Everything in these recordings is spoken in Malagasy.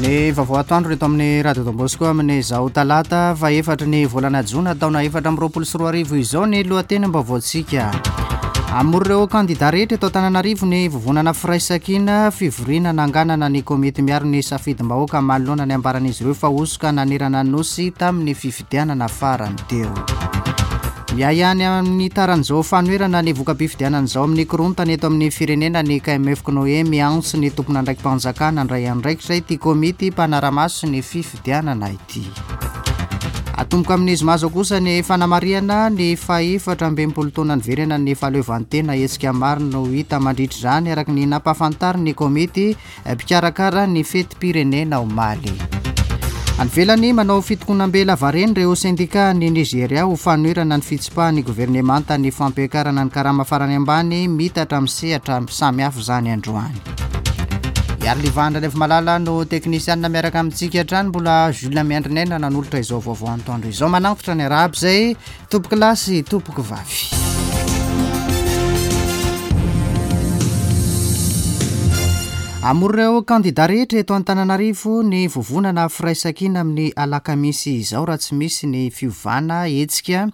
Ny vaovao atoandro eto amin'ny Radio Don Bosco amin'izao talata fahefatry ny volana jona taona 2024 izao ny lohatenim-baovaontsika. Hamory ireo kandida rehetra eto Antananarivo ny vovonana Firaisankina, fivoriana nanganana ny komity miaro ny safidim-bahoaka manoloana ny ambaran'izy ireo fa hosoka nanerana ny Nosy tamin'ny fifidianana farany teo. Miahiahy amin'ny taran'izao fanoherana ny voka-pifidianana izao amin'ny korontana eto amin'ny firenena ny KMF Cnoe miantso ny tompon'andraiki-panjakana handray andraikitra ity komity mpanara-maso ny fifidianana ity. Atomboka amin'ny zoma izao kosa ny fanamarihana ny fahefatra ambin'ny taona niverenan'ny fahaleovantena hetsika maro no hita mandritra izany araka ny nampahafantarin'ny komity Mpikarakara ny fetim-pirenena omaly. Any ivelany, manao fitokonam-be lavareny ireo sendikà any Nizeria ho fanoherana ny fitsipahan'ny governemanta ny fampiakarana ny karama farany ambany miitatra amin'ny sehatra samihafa izany androany. Iariliva Andranaivomalala no teknisianina miaraka amintsika hatrany, mbola Jules Miandrinaina nanolotra izao vaovao antoandro izao. Manantitra ny arahaba izay Tompoko lahy sy tompoko vavy. Hamory ireo kandida rehetra eto Antananarivo ny vovonana Firaisankina amin'ny alakamisy izao raha tsy misy ny fiovana hetsika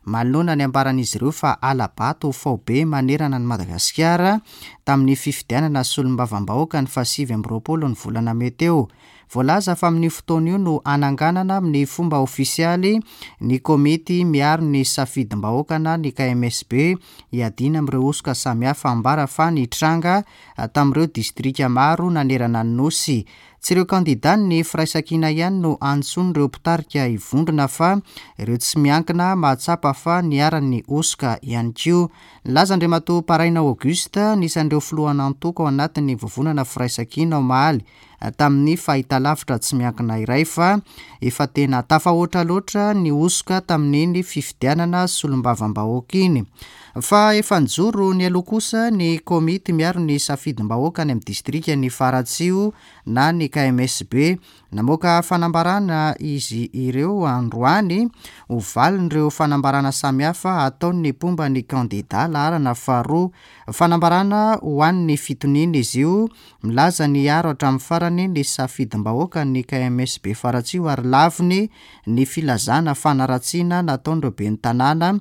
manoloana ny ambaran'izy ireo fa hala-bato faobe manerana an'i Madagasikara tamin'ny fifidianana solombavambahoaka ny fahasivy amby 20 ny volana mey teo. Voalaza fa amin'io fotoana io no hananganana amin'ny fomba ofisialy ny komity miaro ny safidim-bahoaka na ny KMSB hiadiana amin'ireo hosoka samihafa ambara fa nitranga tamin'ireo distrika maro nanerana ny Nosy. Tsy ireo kandidan'ny Firaisankina ihany no antsoin'ireo mpitarika hivondrona fa ireo tsy miankina mahatsapa fa niharan'ny hosoka ihany koa. Nilaza Andriamatoa Paraina Auguste, anisan'ireo filohan'antoko ao anatin'ny vovonana Firaisankina omaly, tamin'ny fahitalavitra tsy miankina iray fa efa tena tafahoatra loatra ny hosoka tamin'iny fifidianana solombavambahoaka iny. Fa efa nijoro nialoha kosa ny komity miaro ny safidim-bahoaka any amin'ny distrikan'i Faratsiho na ny KMSB. Namoaka fanambarana izy ireo androany ho valin'ireo fanambarana samihafa ataon'ny mpomba ny kandida laharana faharoa. Fanambarana ho an'ny fitoniana izy io Milaza ny hiaro hatramin'ny farany ny safidim-bahoaka ny KMS Befaratsiho ary laviny ny filazana fanaratsiana nataon'ireo ben'ny tanàna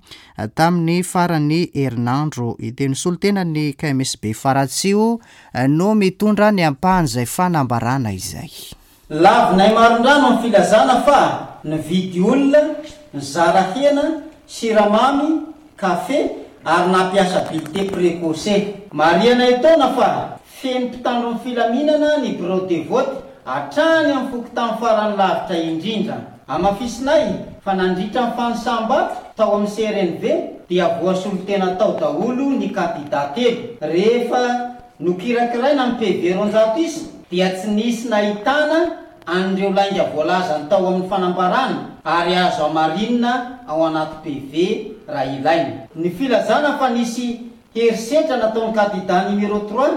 tamin'ny faran'ny herinandro ity. Ny solontenan'ny KMS Befaratsiho no mitondra ny ampahan'izay fanambarana izay. Lavinay marindrano ny filazana fa nividy olona, nizara hena, siramamy, kafe ary nampiasa bulletin précoce. Marihana etoana fa feno mpitandro ny filaminana ny birao de vote hatrany amin'ny fokontany farany lavitra indrindra. Hamafisinay fa nandritra ny fanisam-bato tao amin'ny CRNV dia voasolo tena tao daholo ny kandida telo. Rehefa Nokirakiraina ny PV 200 isa dia tsy nisy nahitana an'ireo lainga voalazany tao amin'ny fanambarana ary azo hamarinina ao anaty PV raha ilaina. Ny filazana fa nisy herisetra nataon'ny kandida numéro trois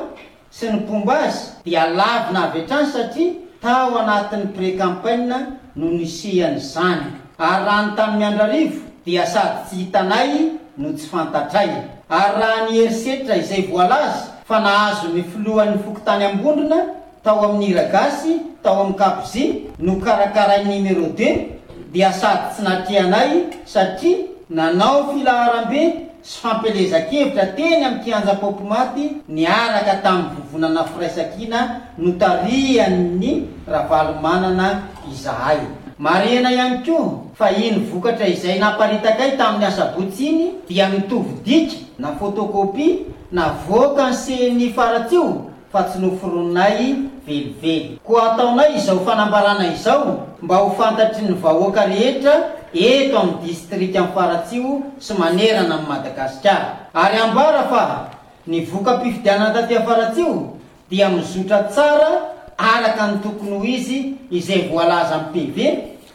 sy ny mpomba azy dia lavina avy hatrany satria tao anatin'ny pré-campaign no nisian'izany. Ary raha ny tany Miandrarivo dia sady tsy hitanay no tsy fantatray. Ary raha ny herisetra izay voalaza fa nahazo ny filohan'ny fokontany Ambondrona tao amin'ny hira gasy tao amin'ny Kapzi nokarakarain'ny numéro deux dia sady tsy natrehanay satria nanao filaharambe sy fampielezan-kevitra teny amin'ny kianja Paopimaty niaraka tamin'ny vovonana Firaisankina notarihan'ny Ravalomanana izahay. Marihana ihany koa fa iny vokatra izay naparitakay tamin'ny asabotsy iny dia mitovy dika na photocopie navoakan'ny CNI Faratsiho fa tsy noforoninay velively. Koa ataonay izao fanambarana izao mba ho fantatry ny vahoaka rehetra eto amin'ny distrikan'i Faratsiho sy manerana an'i Madagasikara. Ary ambara fa ny voka-pifidianana taty Faratsiho dia mizotra tsara araka ny tokony ho izy izay voalazan'ny PV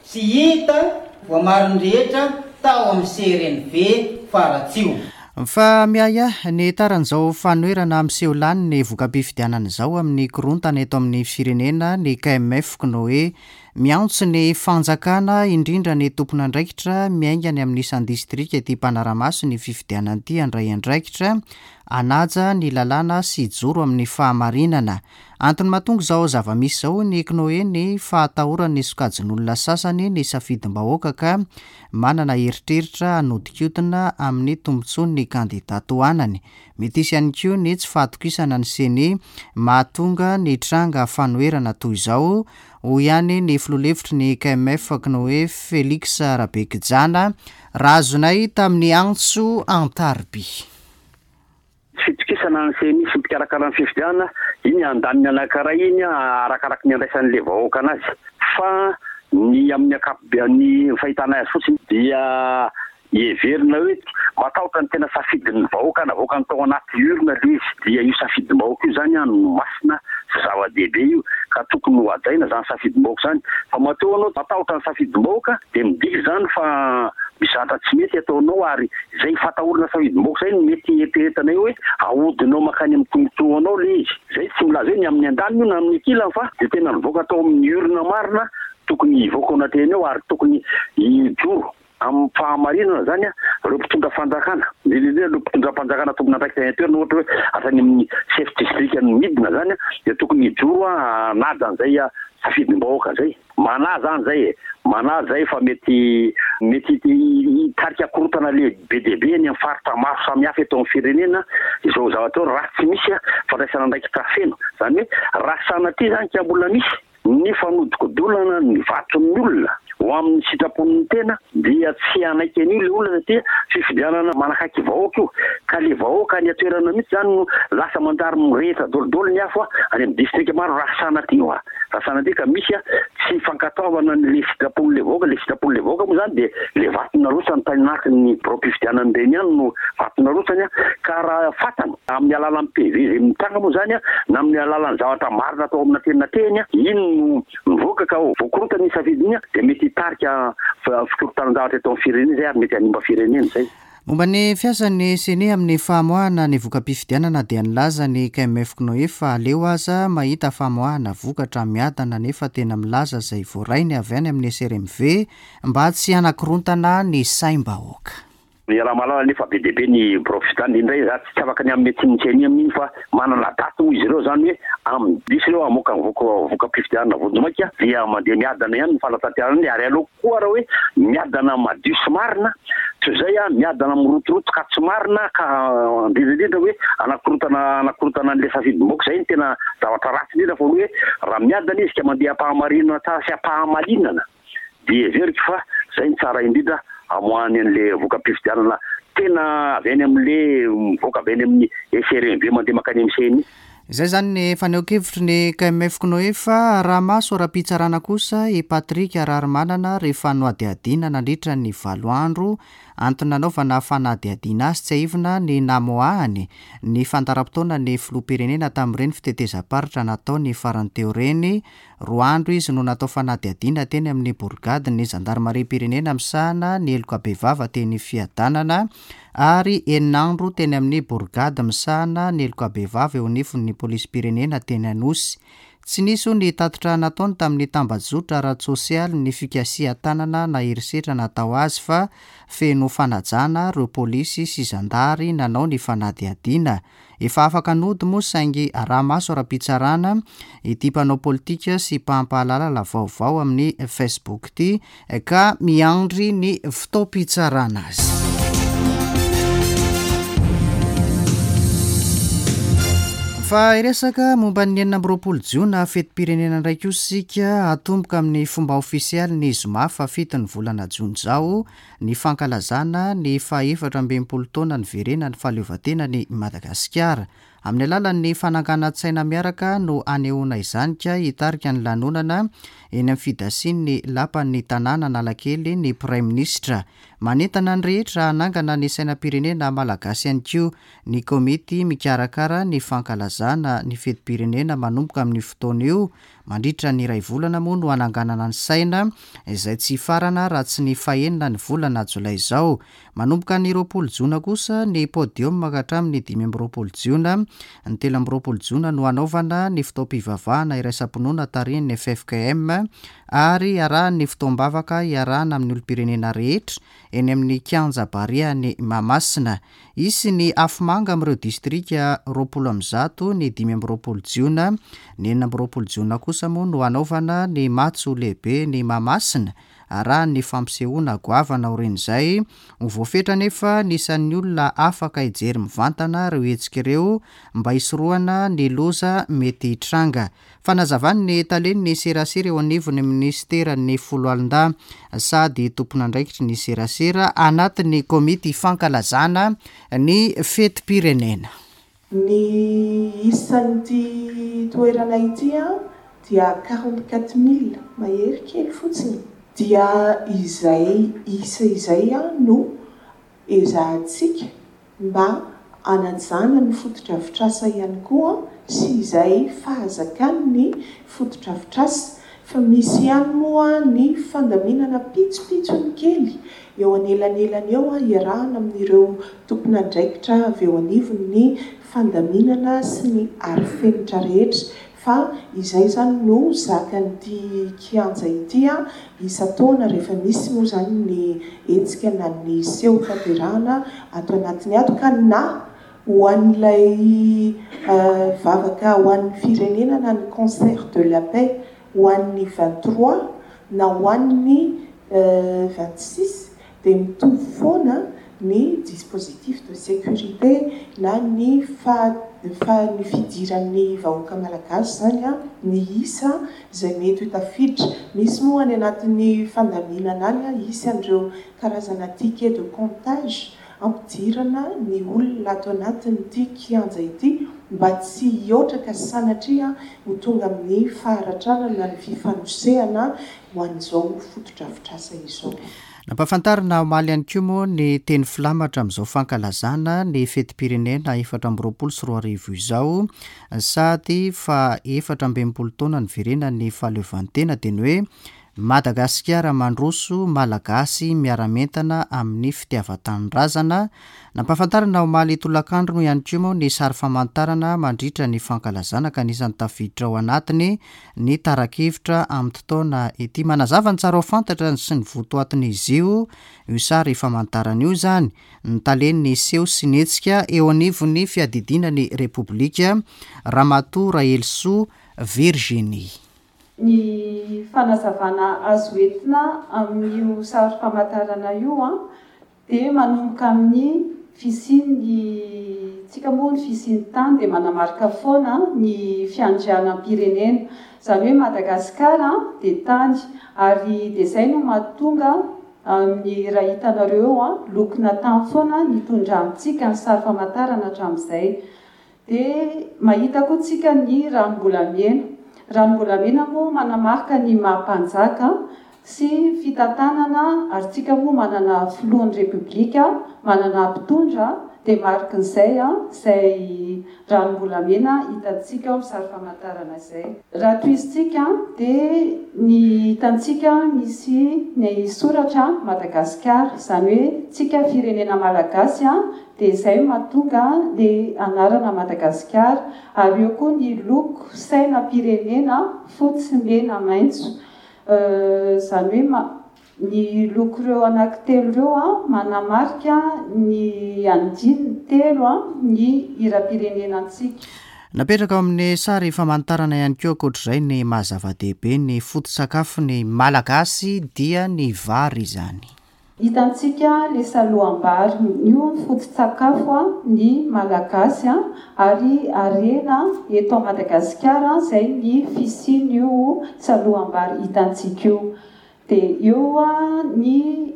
sy hita voamarin'ny rehetra tao amin'ny CRNV Faratsiho. Fa miahiahy ny taran'izao fanoherana miseho lany ny voka-pifidianana izao amin'ny korontana eto amin'ny firenena ny KMF Cnoe. Miantso ny fanjakana, indrindra ny tompon'andraikitra miainga any amin'ny isan-distrika ity mpanara-maso ny fifidianana ity handray andraikitra, hanaja ny lalàna sy hijoro amin'ny fahamarinana. Antony mahatonga izao zava-misy izao hoy ny CNOE ny fahatahoran'ny sokajin'olona sasany ny safidim-bahoaka ka manana eritreritra hanodinkodina amin'ny tombontsoan'ny kandida tohanany. Mety hisy ihany koa ny tsy fahatokisana ny Ceni mahatonga ny tranga fanoherana toy izao, hoy ihany ny filoha lefitry ny KMF CNOE Felix Rabekijana, raha azonay tamin'ny antso an-tariby. Tsy fitokisana ny ceni sy ny mpikarakara ny fifidianana, iny andaniny anankiray iny arakaraky ny andraisan'ilay vahoaka anazy fa ny amin'ny ankapobeany ny fahitanay azy fotsiny dia Heverina hoe matahotra ny tena safidin'ny vahoaka navoakany tao anaty urne le izy dia io safidim-bahoaka io zany no masina sy zava-dehibe io ka tokony ho hajaina zany safidim-bahoaka zany fa matoa anao matahotra ny safidim-bahoaka dia midika izany fa misy zavatra tsy mety ataonao ary izay fatahorana safidim-bahoaka izay no mety eritreretanay hoe ahodinao mankany amin'ny tombotsoanao le izy. Izay tsy milaza hoe ny amin'ny andaniny io na amin'ny ankilany fa dia tena nivoaka tao amin'ny urne marina tokony hivoaka ao anatrehany ao ary tokony hijoro Amin'ny fahamarinana izany, ireo mpitondra fanjakana, indrindra indrindra ireo mpitondram-panjakana tompon'andraikitra any an-toerana, ohatra hoe hatrany amin'ny chef district no midina izany, dia tokony hijoro hanaja an'izay safidim-bahoaka izay. Manahy izany izay e! Manahy izay fa mety mety hitarika korontana lehibe dia be any amin'ny faritra maro samihafa eto amin'ny firenena izao zavatra izao raha tsy misy fandraisana andraikitra feno. Izany hoe raha sanatria izany ka mbola misy Ny fanodikodonana ny vaton'ny olona ho amin'ny sitrapon'ny tena dia tsy hanaiky an'io ilay olona satria fifidianana manakaiky vahoaka io ka le vahoaka any an-toerana mihitsy izany no lasa manjary mirehitra dolidoly ny afo any amin'ny distrika maro raha sanatria hoa raha sanatria ka misy tsy fankatoavana an'le sitrapon'le vahoaka, le sitrapon'le vahoaka moa izany dia le vato narotsany tany anatin'ny biraom-pifidianana ireny ihany no vato narotsany ka raha fantany Amin'ny alalan'ny PV izay mitranga moa izany na amin'ny alalan'ny zavatra marina atao amina teny na teny, iny no mivoaka ka voakorontana iny safidy iny dia mety hitarika fikorontanan-javatra eto amin'ny firenena izay ary mety hanimba firenena izay. Momba ny fiasan'ny Ceni amin'ny famoahana ny voka-pifidianana dia nilaza ny KMF Cnoe fa aleo aza mahita famoahana vokatra miadana nefa tena milaza izay voarainy avy any amin'ny SRMV mba tsy hanakorontana ny saim-bahoaka. Iaraha-mahalala anefa be dia be ny birao fifidianana, indray za tsy afaka ny hanome tsiny ny ceni amin'iny fa manana daty hoy izy ireo izany hoe amin'ny dix ireo hamoaka ny voka-pifidianana vonjimaika dia mandeha miadana ihany ny fanatanterahana an'iny ary aleo koa raha hoe miadana madio sy marina toy izay miadana mirotoroto ka tsy marina ka indrindra indrindra hoe hanakorontana hanakorontana an'ilay safidim-bahoaka izay no tena zavatra ratsy indrindra fa hoe raha miadana izy ka mandeha am-pahamarinana tsara sy am-pahamalinana dia heveriko fa zay no tsara indrindra amoahany an'le voka-pifidianana tena avy any amin'le mivoaka avy any amin'ny SRMV mandeha mankany amin'ny ceni. Izay izany ny fanehoan-kevitry ny KMF Cnoe fa araha-maso ara-pitsarana kosa i Patrick Raharimanana rehefa nohadihadiana nandritra ny valo andro. Antony nanaovana fanadihadiana azy tsiahivina ny namoahany ny fandaharam-potoana ny filoham-pirenena tamin'ireny fitetezam-paritra nataony farany teo ireny Roa andro izy no natao fanadihadiana teny amin'ny borigadin'ny zandarimariam-pirenena misahana ny heloka bevava teny Fiadanana ary enina andro teny amin'ny borigady misahana ny heloka bevava eo anivon'ny polisim-pirenena teny Anosy. Tsy nisy hoy ny tatitra nataony tamin'ny tambajotra ara-tsosialy ny fikasihan-tanana na herisetra natao azy fa feno fanajana ireo polisy sy zandary nanao ny fanadihadiana. Efa afaka nody moa saingy araha-maso ara-pitsarana ity mpanao politika sy mpampahalalala vaovao amin'ny Facebook ity ka miandry ny fotoam-pitsarana azy. Fa hiresaka momba ny 26 jona fetim-pirenena indray kosa isika, hatomboka amin'ny fomba ofisialy ny zoma fahafito ny volana jona izao ny fankalazana ny faha 64 taona niverenan'ny fahaleovantenan'i Madagasikara. Amin'ny alalan'ny fananganan-tsaina miaraka no hanehoana izany ka hitarika ny lanonana eny amin'ny fidasian'ny lapan'ny tanàna Analakely ny Praiminisitra. Manentana ny rehetra hanangana ny sainam-pirenena malagasy ihany koa ny komity mikarakara ny fankalazana ny fetim-pirenena manomboka amin'io fotoana io. Mandritra ny iray volana moa no hananganana ny saina izay tsy hifarana raha tsy ny fahenina ny volana jolay izao. Manomboka ny 20 jona kosa ny podium ka hatramin'ny 25 jiona. Ny 23 jona no hanaovana ny fotoam-pivavahana iraisam-pinoana tarihin'ny ffkm ary harahan'ny fotoam-bavaka iarahana amin'ny olom-pirenena rehetra eny amin'ny kianja Barea any Mahamasina. Hisy ny afomanga amin'ireo distrika 120 ny 25 jiona. Ny 26 jona kosa moa no hanaovana ny matso lehibe ny Mahamasina arahan'ny fampisehoana goavana aorian'izay. Ho voafetra anefa ny isan'ny olona afaka hijery mivantana ireo hetsika ireo mba hisorohana ny loza mety hitranga. Fanazavan'ny talen'ny serasera eo anivon'ny minisiteran'ny Foloalindahy sady tompon'andraikitry ny serasera anatin'ny komity fankalazana ny fetim-pirenena. Ny isan'ity toerana ity dia 44 mille mahery kely fotsiny. Dia izay isa izay no ezahantsika mba hanajana ny fotodrafitrasa ihany koa sy izay fahazakany ny fotodrafitrasa fa misy ihany moa ny fandaminana pitsopitsony kely eo anelanelany eo iarahana amin'ireo tompon'andraikitra avy eo anivon'ny fandaminana sy ny arifenitra rehetra Fa izay izany no zakan'ity kianja ity isan-taona rehefa misy moa izany ny hetsika na ny seho tanterahana ato anatiny ato ka na ho an'ilay vavaka ho an'ny firenena na ny concert de la paix ho an'ny 23 na ho an'ny 26 dia mitovy foana ny dispositif de sécurité na ny fa fa ny fidiran'ny vahoaka malagasy izany an, ny isa izay mety ho tafiditra. Misy moa any anatin'ny fandaminana any an, hisy an'ireo karazana ticket de comptage ampidirana ny olona ato anatin'ity kianja ity mba tsy hihoatra ka sanatria ho tonga amin'ny faharatrana na ny fifanosehana ho an'izao fotodrafitrasa izao. Nampahafantarina omaly ihany koa moa ny teny filamatra amin'izao fankalazana ny fetim-pirenena 2024 izao sady faha 64 taona niverenan'ny fahaleovantena dia ny hoe Madagasikara mandroso, Malagasy miara-mientana amin'ny fitiavan-tanindrazana. Nampahafantarina omaly tolakandro moa ihany koa moa ny sary famantarana mandritra ny fankalazana ka anisan'ny tafiditra ao anatiny ny tara-kevitra amin'ity taona ity. Manazava ny tsara ho fantatra sy ny votoatin'izy io io sary famantarana io izany ny talen'ny seho sy ny hetsika eo anivon'ny fiadidiana ny Repoblika, Ramatoa Rahelisoa Virginie. Ny fanazavana azo entina amin'io sary famantarana io Dia manomboka amin'ny fisian'ny, tsika moa ny fisian'ny tany dia manamarika foana ny fiandrianam-pirenena. Izany hoe Madagasikara dia tany ary dia izay no mahatonga amin'ny raha hitanareo eo lokona tany foana nitondrantsika ny sary famantarana hatramin'izay. Dia mahita koa tsika ny ranom-bolamena. Ranom-bolamena moa manamarika ny maha mpanjaka sy fitantanana ary tsika moa manana filohan'ny repoblika, manana mpitondra dia marikin'izay izay ranom-bolamena hitantsika ao amin'ny sary famantarana izay. Raha tohizintsika dia ny hitantsika misy ny soratra Madagasikara, izany hoe tsika firenena malagasy Dia izay no mahatonga le anarana Madagasikara. Ary eo koa ny loko sainam-pirenena fotsy, mena, maitso. Izany hoe ny loko ireo anankitelo ireo manamarika ny andininy telo ny hiram-pirenenantsika. Napetraka ao amin'ny sary famantarana ihany koa ankoatr'izay ny maha zava-dehibe ny foto-tsakafon'ny Malagasy dia ny vary izany. Hitantsika le saloham-bary, io ny foto-tsakafo ny Malagasy ary harena eto Madagasikara zay ny fisian'io saloham-bary hitantsika io. Dia eo ny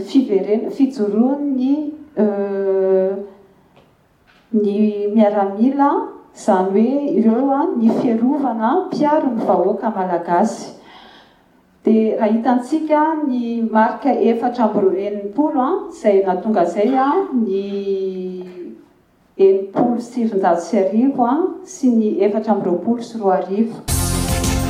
fiverena, fijoroan'ny ny miaramila, izany hoe ireo ny fiarovana mpiaro ny vahoaka Malagasy. Dia raha hitantsika ny marika 64 izay nahatonga izay ny 1960 sy ny 2024.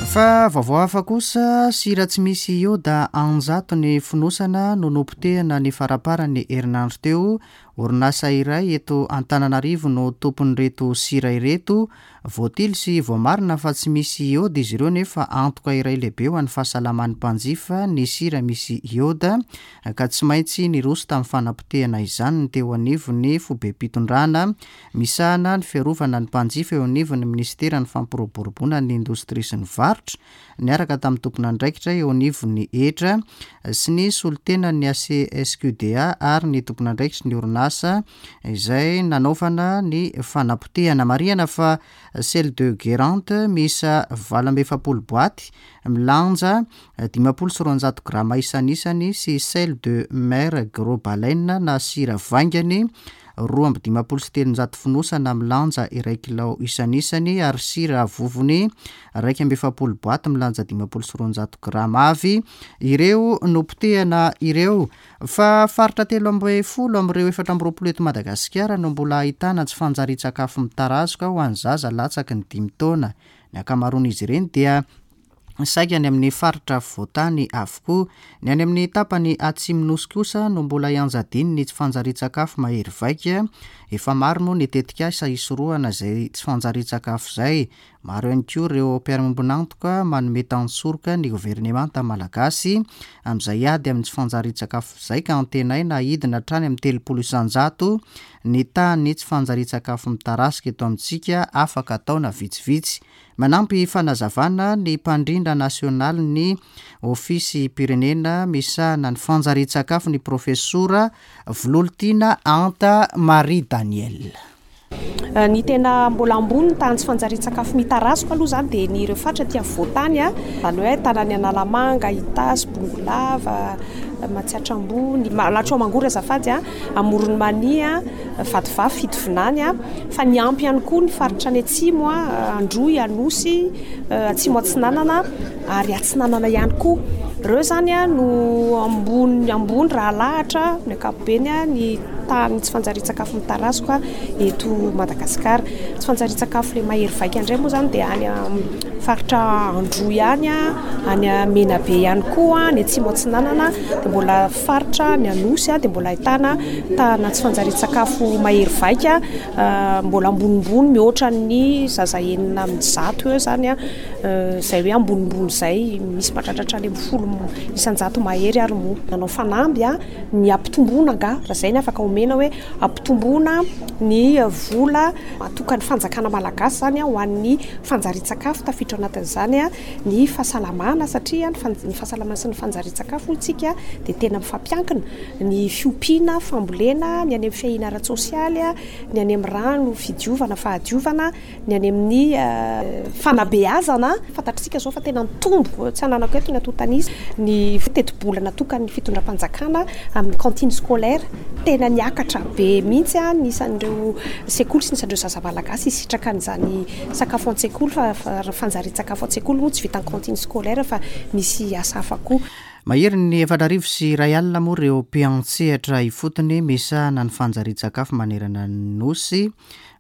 Fa vaovao hafa kosa, sira tsy misy ioda an-jatony fonosana no nopotehina ny faramparan'ny herinandro teo. Orinasa iray eto Antananarivo no tompon'ireto sira ireto. Voatily sy voamarina fa tsy misy ioda izy ireo nefa antoka iray lehibe ho an'ny fahasalaman'ny mpanjifa ny sira misy ioda ka tsy maintsy niroso tamin'ny fanapotehana izany ny teo anivon'ny foibem-pitondrana misahana ny fiarovana ny mpanjifa eo anivon'ny minisiteran'ny fampiroboroboana ny indostria sy ny varotra niaraka tamin'ny tompon'andraikitra eo anivon'ny hetra sy ny solontenan'ny ACSQDA ary ny tompon'andraikitry ny orinasa izay nanaovana ny fanapotehana. Marihana fa sel de Guérande miisa 48 boaty milanja 250 grama isanisany sy sel de mer gros baleine na sira vaingany 352 fonosana milanja iray kilao isanisany ary sira vovony 41 boaty milanja 250 grama avy ireo nopotehana ireo. Fa faritra 13 amin'ireo 24 eto Madagasikara no mbola ahitana tsy fanjarian-tsakafo mitarazoka ho an'ny zaza latsaky ny dimy taona. Ny ankamaroan'izy ireny dia saika any amin'ny faritra afovoan-tany avokoa. Ny any amin'ny tapany atsimo Nosy kosa no mbola ianjadian'ny tsy fanjarian-tsakafo mahery vaika. Efa maro moa ny tetikasa hisorohana izay tsy fanjarian-tsakafo izay. Maro ihany koa ireo mpiara-miombon'antoka manome tantsoroka ny governemanta malagasy amin'izay ady amin'ny tsy fanjarian-tsakafo izay ka antenaina hidina hatrany amin'ny 30% ny tahan'ny tsy fanjarian-tsakafo mitarasika eto amintsika afaka taona vitsivitsy. Manampy fanazavana ny mpandrindra nasionalin'ny Ofisim-pirenena misahana ny fanjarian-tsakafo ny Profesora Vololtiana Anta Marie Daniel. Ny tena mbola ambony ny tahan'ny tsy fanjarian-tsakafo mitarazoka aloha izany dia ny ireo faritra aty afovoan-tany, izany hoe ahitana ny Analamanga, Itasy, Bongolava, Matsiatra Ambony, Mahalatro Mangoro azafady, Amoron'i Mania, Vatovavy, Fitovinany, fa niampy ihany koa ny faritra any atsimo, Androy, Anosy, Atsimo Atsinanana ary Atsinanana ihany koa. Ireo izany no ambony ambony raha alahatra amin'ny ankapobeny ny tahan'ny tsy fanjarian-tsakafo mitarazoka eto Madagasikara. Tsy fanjarian-tsakafo ilay mahery vaika indray moa izany dia any amin'ny faritra Androy any, any Menabe ihany koa, any Atsimo Atsinanana, dia mbola faritra ny Anosy dia mbola ahitana tahana tsy fanjarian-tsakafo mahery vaika, mbola ambonimbony mihoatra ny zaza 106 eo izany, izay hoe ambonimbony izay, misy mahatratra hatrany amin'ny 10% mahery ary moa. Nanao fanamby ny hampitomboana angaha, raha izay ny afaka omena hoe hampitomboana ny vola atokan'ny fanjakana malagasy izany ho an'ny fanjarian-tsakafo, tafiditra ao anatin'izany ny fahasalamana satria ny fahasalamana sy ny fanjarian-tsakafo hoy isika dia tena mifampiankina, ny fiompiana, fambolena, ny any amin'ny fiahiana ara-tsosialy, ny any amin'ny rano, fidiovana, fahadiovana. Ny any amin'ny fanabeazana, fantatr'isika izao fa tena nitombo, tsy ananako eto ny antontan'isa, ny tetibola natokan'ny fitondram-panjakana amin'ny cantine scolaire. Tena niakatra be mihitsy ny isan'ireo sekoly sy ny isan'ireo zaza malagasy hisitraka an'izany sakafo an-tsekoly fa fanjarian-tsakafo an-tsekoly moa tsy vitan'ny cantine scolaire fa misy asa hafa koa. Maherin'ny 1040 moa ireo mpiantsehatra ifotony misahana ny fanjarian-tsakafo manerana ny Nosy.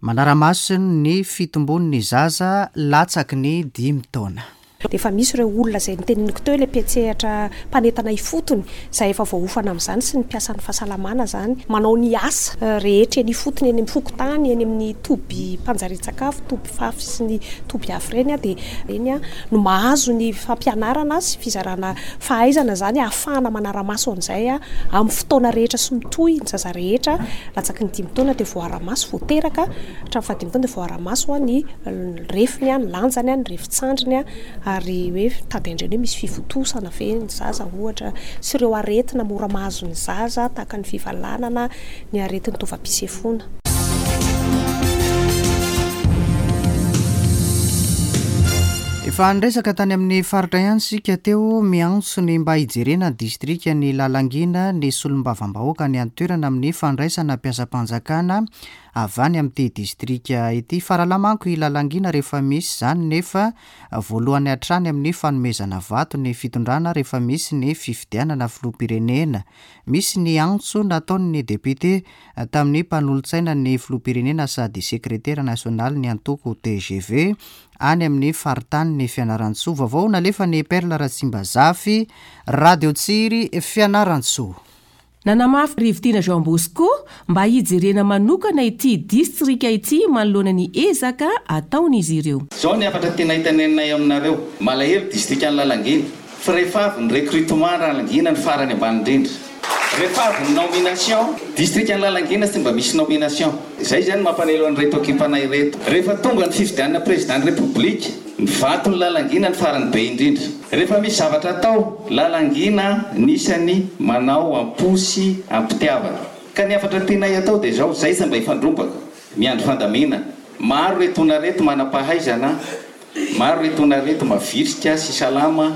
Manara-maso ny fitombon'ny zaza latsaky ny dimy taona. Dia efa misy ireo olona izay noteneniko teo, ilay mpiantsehatra mpanentana ifotony izay efa voaofana amin'izany sy ny mpiasan'ny fahasalamana izany, manao ny asa rehetra eny ifotony, eny amin'ny fokontany, eny amin'ny tobim-panjarian-tsakafo, toby fafy sy ny toby hafa ireny dia ireny no mahazo ny fampianarana sy fizarana fahaizana izany ahafahana manara-maso an'izay amin'ny fotoana rehetra sy mitohy ny zaza rehetra. Latsaky ny dimy taona dia voaara-maso, vao teraka hatramin'ny fahadimy taona dia voaara-maso ny refiny, ny lanjany, ny refin-tsandriny ary hoe mitady an'ireny hoe misy fivontosana ve ny zaza ohatra sy ireo aretina mora mahazo ny zaza tahaka ny fivalanana, ny aretin'ny taovam-pisefoana. Efa niresaka tany amin'ny faritra ihany isika teo, miantso ny mba hijerena ny distrikan'i Lalangina ny solombavambahoaka any an-toerana amin'ny fandraisana mpiasam-panjakana avy any amin'ity distrika ity. Faralahy manko i Lalangina rehefa misy izany nefa voalohany hatrany amin'ny fanomezana vato ny fitondrana rehefa misy ny fifidianana filoham-pirenena. Misy ny antso nataon'ny depiote tamin'ny mpanolotsainan'ny filoham-pirenena sady sekretera nasionalin'ny antoko tgv any amin'ny faritanin'i Fianarantsoa. Vaovao nalefan'i Perle Ratsimbazafy, Radio Tsiry, Fianarantsoa. Nanamafy Rivotiana Jean Bosco mba hijerena manokana ity distrika ity manoloana ny ezaka ataon'izy ireo. Izao ny hafatra tiana hiteneninay aminareo, malahelo distrikan'i Lalangina, fa rehefa avy ny recrutement Ralangina ny farany ambany indrindra. Rehefa avy ny nomination, distrikan'i Lalangina tsy mba misy nomination. Izay izany mampanelo an'ireto ekipanay ireto. Rehefa tonga ny fifidianana président ny République, ny vaton'i Lalangina ny farany be indrindra. Rehefa misy zavatra atao, Lalangina ny isany manao am-po sy am-pitiavana. Ka ny hafatra tianay atao dia izao, izay tsy mba hifandrombaka, miandry fandaminana. Maro ireto olona ireto manam-pahaizana, maro ireto olona ireto mavitrika sy salama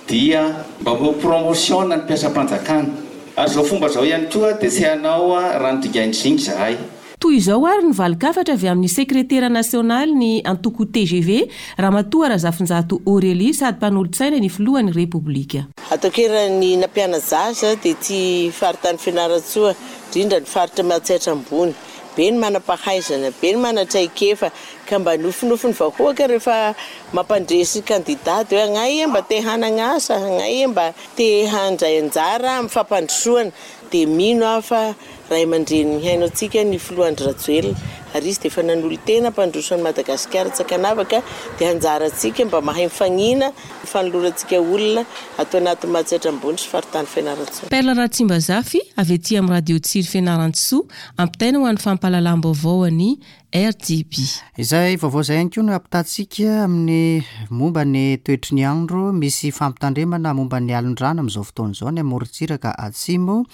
dia mba omeo promotion ny mpiasam-panjakana. Ary izao fomba izao ihany koa dia tsy hanao rano dingain-dzinga izahay. Toy izao ary ny valin-kafatra avy amin'ny sekretera nasionaly ny antoko tgv, Ramatoa Razafinjato Aurélie sady mpanolotsaina ny filohan'ny Repoblika. Ataoko hoe raha ny nampiana-jaza dia ity faritany Fianarantsoa, indrindra ny faritra Matsiatra Ambony. Be ny manam-pahaizana, be ny manan-traikefa, ka mba nofinofin'ny vahoaka rehefa mampandresy kandida dia hoe agnay mba te hanagna asa, agnay mba te handray anjara amin'ny fampandrosoana, dia mino aho fa ray aman-dreny mihaino antsika ny filoha Andry Rajoelina ary izy dia efa nanolo-tena hampandroso an'i Madagasikara tsy ankanavaka dia anjarantsika mba mahay mifagnina ny fanolorantsika olona ato anatin'i Matsiatra Ambony sy faritany Fianarantsoa. Perle Ratsimbazafy avy aty amin'ny Radio Tsiry Fianarantsoa, ampitaina ho an'ny fampahalalam-baovao an'i RDB. Izay vaovao izay ihany koa no ampitantsika amin'ny momba ny toetry ny andro. Misy fampitandremana momba ny alon-drano amin'izao fotoana izao any amorontsiraka atsimo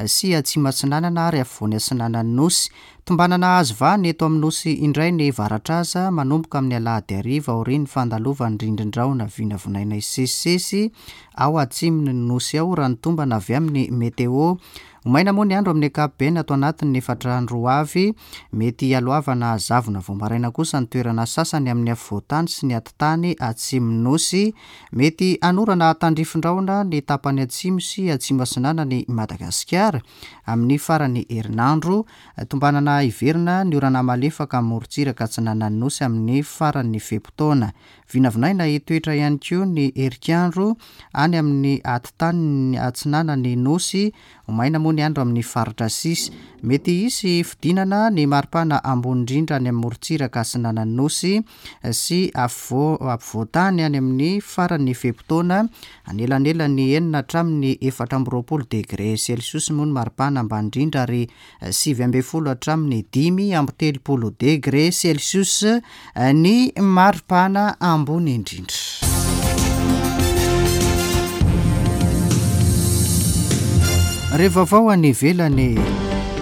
sy atsimo atsinanana ary afovoany atsinanan'ny Nosy. Tombanana hahazo vahana eto amin'ny Nosy indray ny varatraza manomboka amin'ny alahady hariva aorian'ny fandalovan'ny rindrin-drahona vinavinaina hisesisesy ao atsimon'ny Nosy ao raha ny tombana avy amin'ny Météo. Ho maina moa ny andro amin'ny ankapobeny ato anatin'ny efatra andro ho avy. Mety hialohavana zavona vao maraina kosa ny toerana sasany amin'ny afovoan-tany sy ny atitany atsimon'ny Nosy. Mety hanorana tandrifin-drahona ny tapany atsimo sy atsimo atsinanan'i Madagasikara amin'ny faran'ny herinandro. Tombanana hiverina ny orana malefaka amin'ny morontsiraka atsinanan'ny Nosy amin'ny faran'ny fe-potoana. Vinavinaina hitoetra ihany koa ny herikandro any amin'ny atitany atsinanan'ny Nosy. Ho maina moa ny andro amin'ny faritra sisa. Mety hisy fidinana ny maripana ambony indrindra any amin'ny morontsiraka atsinanan'ny Nosy sy afovoantany any amin'ny faran'ny fe-potoana. Anelanelan'ny enina hatramin'ny 24 degre celsius moa ny maripana ambany indrindra ary 19 hatramin'ny 35 degre celsius ny maripana ambony indrindra. Re vaovao any ivelany.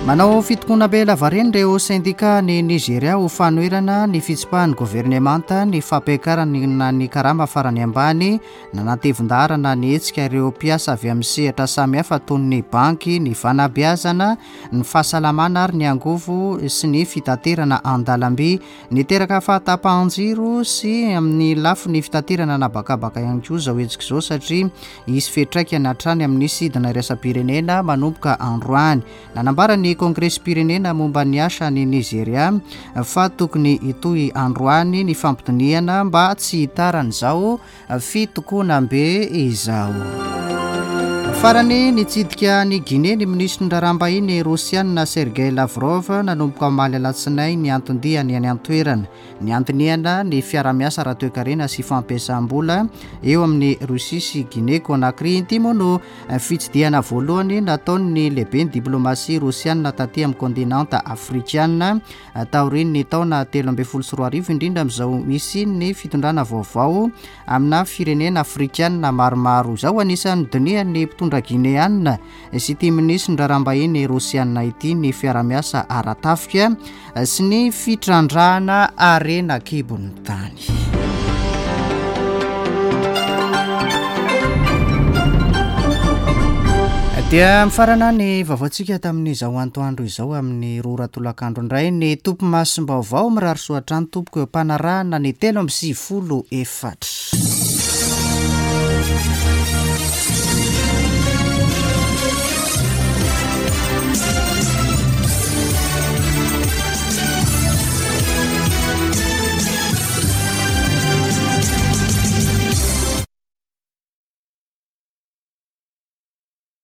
Manao fitokonam-be lavareny ireo sendika any Nigeria ho fanoherana ny fitsipahan'ny governemanta ny fampiakarana ny karama farany ambany Nanatevin-daharana ny hetsika ireo mpiasa avy amin'ny sehatra samihafa toy ny banky, ny fanabeazana, ny fahasalamana ary ny angovo sy ny fitaterana an-dalamby. Niteraka fahatapahan-jiro sy amin'ny lafiny fitaterana an'habakabaka ihany koa izao hetsika izao satria hisy fiantraikany hatrany amin'ny sidina iraisam-pirenena manomboka androany. Nanambara ny Kongresim-pirenena momba ny asa any Nizeria fa tokony hitohy androany ny fampidinihana mba tsy hitaran'izao fitokonam-be izao. Farany, nitsidika an'i Guinée ny minisitry ny raharaham-bahiny Rosiana Sergei Lavrov nanomboka omaly alatsinainy ny anton-diany any an-toerana. Niantinihana ny fiarahamiasa ara-toekarena sy fampiasam-bola eo amin'i Russie sy Guinée Conakry. Ity moa no fitsidihana voalohany nataon'ny lehiben'ny diplomasia rosiana taty amin'ny kontinanta afrikana taorian'ny taona 2013, indrindra amin'izao hisian'ny fitondrana vaovao amina firenena afrikana maromaro izao. Anisan'ny dinihan'ny mpitondra gineana sy ity minisitry ny raharaham-bahiny rosiana ity ny fiarahamiasa ara-tafika sy ny fitrandrahana harena an-kibon'ny tany. Dia mifarana ny vaovaontsika tamin'izao antoandro izao amin'ny roa ora tolakandro indray ny topimasom-baovao mirary soa hatrany tompoko eo am-panarahana ny 93 4.